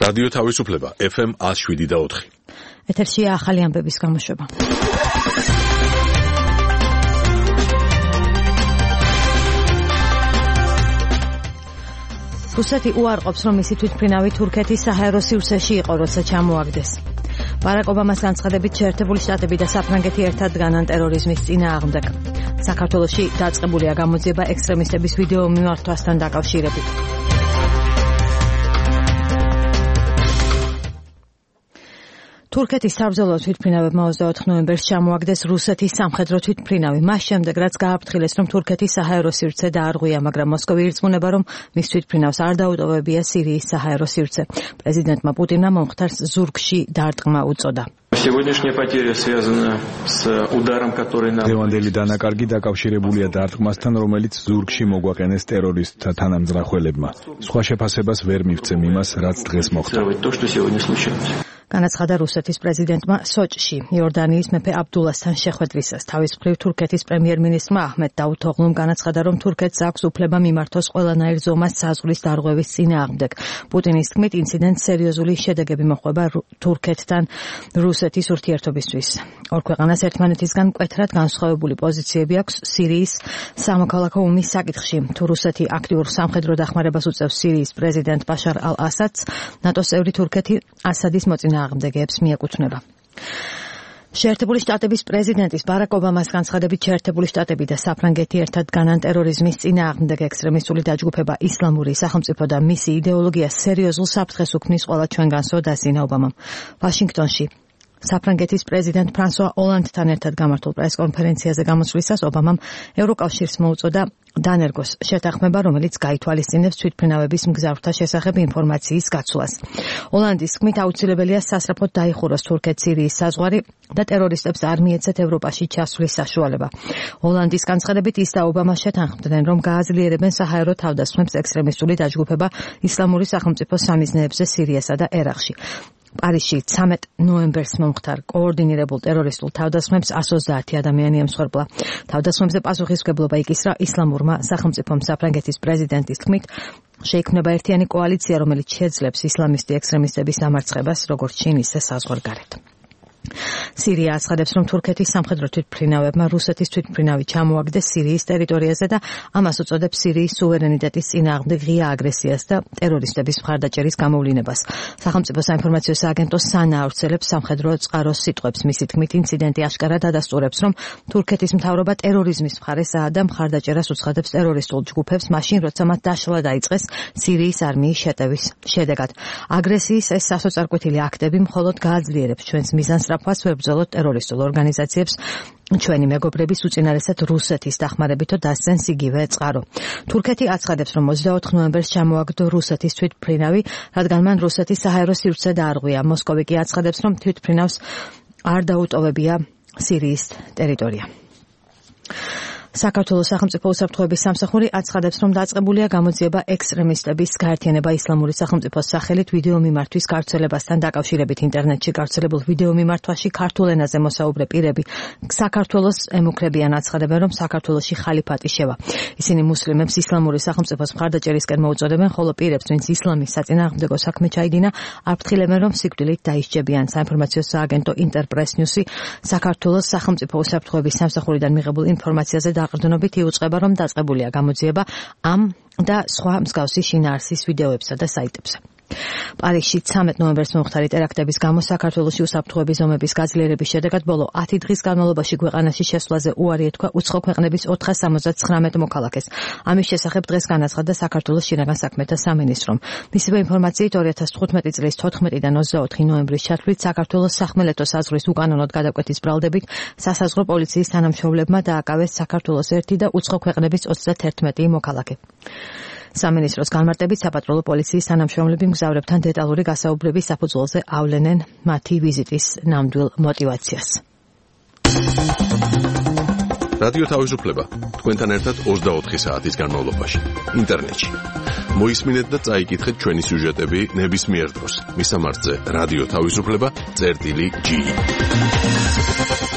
რადიო თავისუფლება FM 107.4. ეთერშია ახალი ამბების გამოშვება. რუსეთი უარყოფს, რომ მისი თვითმფრინავი თურქეთის საჰაერო სივრცეში იყო, როცა ჩამოაგდეს. ბარაკ ობამას განცხადებით შეერთებული შტატები და საფრანგეთი ერთად დგანან ტერორიზმის წინააღმდეგ. საქართველოში დაწყებულია გამოძიება ექსტრემისტების ვიდეო მიმართვასთან დაკავშირებით. თურქეთის საბრძოლო თვითმფრინავებმა 24 ნოემბერს ჩამოაგდეს რუსეთის სამხედრო თვითმფრინავი. მას შემდეგ, რაც გააფრთხილეს, რომ თურქეთის საჰაერო სივრცე დაარღვია, მაგრამ მოსკოვი ირწმუნება, რომ მის თვითმფრინავს არ დაუტოვებია სირიის საჰაერო სივრცე. პრეზიდენტმა პუტინმა მომხდარს ზურგში დარტყმა უწოდა. დღევანდელი დანაკარგი დაკავშირებულია დარტყმასთან, რომელიც ზურგში მოგვაყენეს ტერორისტთა თანამძრახველებმა. სხვა შეფასებას ვერ მივცემ იმას, რაც დღეს მოხდა. განაცხადა რუსეთის პრეზიდენტმა სოჭში იორდანიის მეფე აბდულასთან შეხვედრისას. თავის მხრივ თურქეთის პრემიერ-მინისტრმა აჰმედ დავუთოღლუმ განაცხადა, რომ თურქეთს აქვს უფლება მიმართოს ყველანაირ ზომას საზღვრის დარღვევის წინააღმდეგ. პუტინის თქმით, ინციდენტს სერიოზული შედეგები მოჰყვება თურქეთთან რუსეთის ურთიერთობისთვის. ორ ქვეყანას ერთმანეთისგან მკვეთრად განსხვავებული პოზიციები აქვს სირიის სამოქალაქო ომის საკითხში. თუ რუსეთი აქტიურ სამხედრო დახმარებას უწევს სირიის პრეზიდენტ ბაშარ ალ-ასადს, ნატოს წევრი თურქეთი ასადის მოწინააღმდეგეებს მიეკუთვნება. შეერთებული შტატების პრეზიდენტის ბარაკ ობამას განცხადებით შეერთებული შტატები და საფრანგეთი ერთად დგანან ტერორიზმის წინააღმდეგ. ექსტრემისტული დაჯგუფება ისლამური სახელმწიფო და მისი იდეოლოგია სერიოზულ საფრთხეს უქმნის ყველა ჩვენგანსო დასძინა ობამამ. ვაშინგტონში საფრანგეთის პრეზიდენტ ფრანსუა ოლანდთან ერთად გამართულ პრესკონფერენციაზე გამოსვლისას ობამამ ევროკავშირს მოუწოდა დანერგოს შეთანხმება, რომელიც გაითვალისწინებს თვითმფრინავების მგზავრთა შესახებ ინფორმაციის გაცვლას. ოლანდის თქმით, აუცილებელია სასწრაფოდ დაიხუროს თურქეთ-სირიის საზღვარი და ტერორისტებს არ მიეცეთ ევროპაში ჩასვლის საშუალება. ოლანდის განცხადებით, ის და ობამა შეთანხმდნენ, რომ გააძლიერებენ საჰაერო თავდასხმებს ექსტრემისტული დაჯგუფება ისლამური სახელმწიფოს სამიზნეებზე სირიასა და ერაყში. პარიზში 13 ნოემბერს მომხდარ კოორდინირებულ ტერორისტულ თავდასხმებს 130 ადამიანი ემსხვერპლა. თავდასხმებზე პასუხისმგებლობა იკისრა ისლამურმა სახელმწიფომ. საფრანგეთის პრეზიდენტის თქმით, შეიქმნება ერთიანი კოალიცია, რომელიც შეძლებს ისლამისტი ექსტრემისტების დამარცხებას, როგორც შინ, ისე საზღვარგარეთ. სირია აცხადებს, რომ თურქეთის სამხედრო თვითმფრინავებმა რუსეთის თვითმფრინავი ჩამოაგდეს სირიის ტერიტორიაზე და ამას უწოდებს სირიის სუვერენიტეტის წინააღმდეგ ღია აგრესიას და ტერორისტების მხარდაჭერის გამოვლინებას. სახელმწიფო საინფორმაციო სააგენტო სანა ავრცელებს სამხედრო წყაროს სიტყვებს. მისი თქმით, ინციდენტი აშკარად ადასტურებს, რომ თურქეთის მთავრობა ტერორიზმის მხარესაა და მხარდაჭერას უცხადებს ტერორისტულ ჯგუფებს, მაშინ როცა მათ დაშლა დაიწყეს სირიის არმიის შეტევის შედეგად. აგრესიის ეს სასოწარკვეთილი აქტები მხოლოდ გააძლიერებს ჩვენს მიზანს, რაფას ვერ ბრძოლოთ ტერორისტულ ორგანიზაციებს, ჩვენი მეგობრების უწინარესად რუსეთის დახმარებითო დასცენს იგივე წყარო. თურქეთი აცხადებს, რომ 24 ნოემბერს ჩამოაგდო რუსეთის თვითმფრინავი, რადგან მან რუსეთის საჰაერო სივრცე დაარღვია. მოსკოვი კი აცხადებს, რომ თვითმფრინავს არ დაუტოვებია სირიის ტერიტორია. საქართველოს სახელმწიფო უსაფრთხოების სამსახური აცხადებს, რომ დაწყებულია გამოძიება ექსტრემისტების გაერთიანება ისლამური სახელმწიფოს სახელით ვიდეო მიმართვის გავრცელებასთან დაკავშირებით. ინტერნეტში გავრცელებულ ვიდეო მიმართვაში ქართულ ენაზე მოსაუბრე პირები საქართველოს ემუქრებიან, აცხადებენ, რომ საქართველოში ხალიფატი შევა. ისინი მუსლიმებს ისლამური სახელმწიფოს მხარდაჭერისკენ მოუწოდებენ, ხოლო პირებს, ვინც ისლამის საწინააღმდეგო საქმე ჩაიდინა, აფრთხილებენ, რომ სიკვდილით დაისჯებიან. საინფორმაციო სააგენტო ინტერპრეს ნიუსი საქართველოს სახელმწიფო უსაფრთხოების სამსახურიდან მიღებულ ინფორმაციაზე აყრდნობით იუწყება, რომ დაწყებულია გამოძიება ამ და სხვა მსგავსი შინაარსის ვიდეოებსა და საიტებზე. პარიზში 13 ნოემბერს მომხდარი ტერაქტების გამო საქართველოში უსაფრთხოების ზომების გაძლიერების შედეგად ბოლო 10 დღის განმავლობაში ქვეყანაში შესვლაზე უარი ეთქვა უცხო ქვეყნების 479 მოქალაქეს. ამის შესახებ დღეს განაცხადა საქართველოს შინაგან საქმეთა სამინისტრომ. მისივე ინფორმაციით 2015 წლის 14-დან 24 ნოემბრის ჩათვლით საქართველოს სახმელეთო საზღვრის უკანონოდ გადაკვეთის ბრალდებით სასაზღვრო პოლიციის თანამშრომლებმა დააკავეს საქართველოს 1 და უცხო ქვეყნების 31 მოქალაქე. სამინისტროს განმარტებით საპატრულო პოლიციის თანამშრომლები მგზავრებთან დეტალური გასაუბრების საფუძველზე ავლენენ მათი ვიზიტის ნამდვილ мотивაციას. რადიო თავისუფლება თქვენთან ერთად 24 საათის განმავლობაში ინტერნეტში. მოისმინეთ და წაიკითხეთ ჩვენი სიუჟეტები ნებისმიერ დროს. მისამართზე რადიო თავისუფლება.ge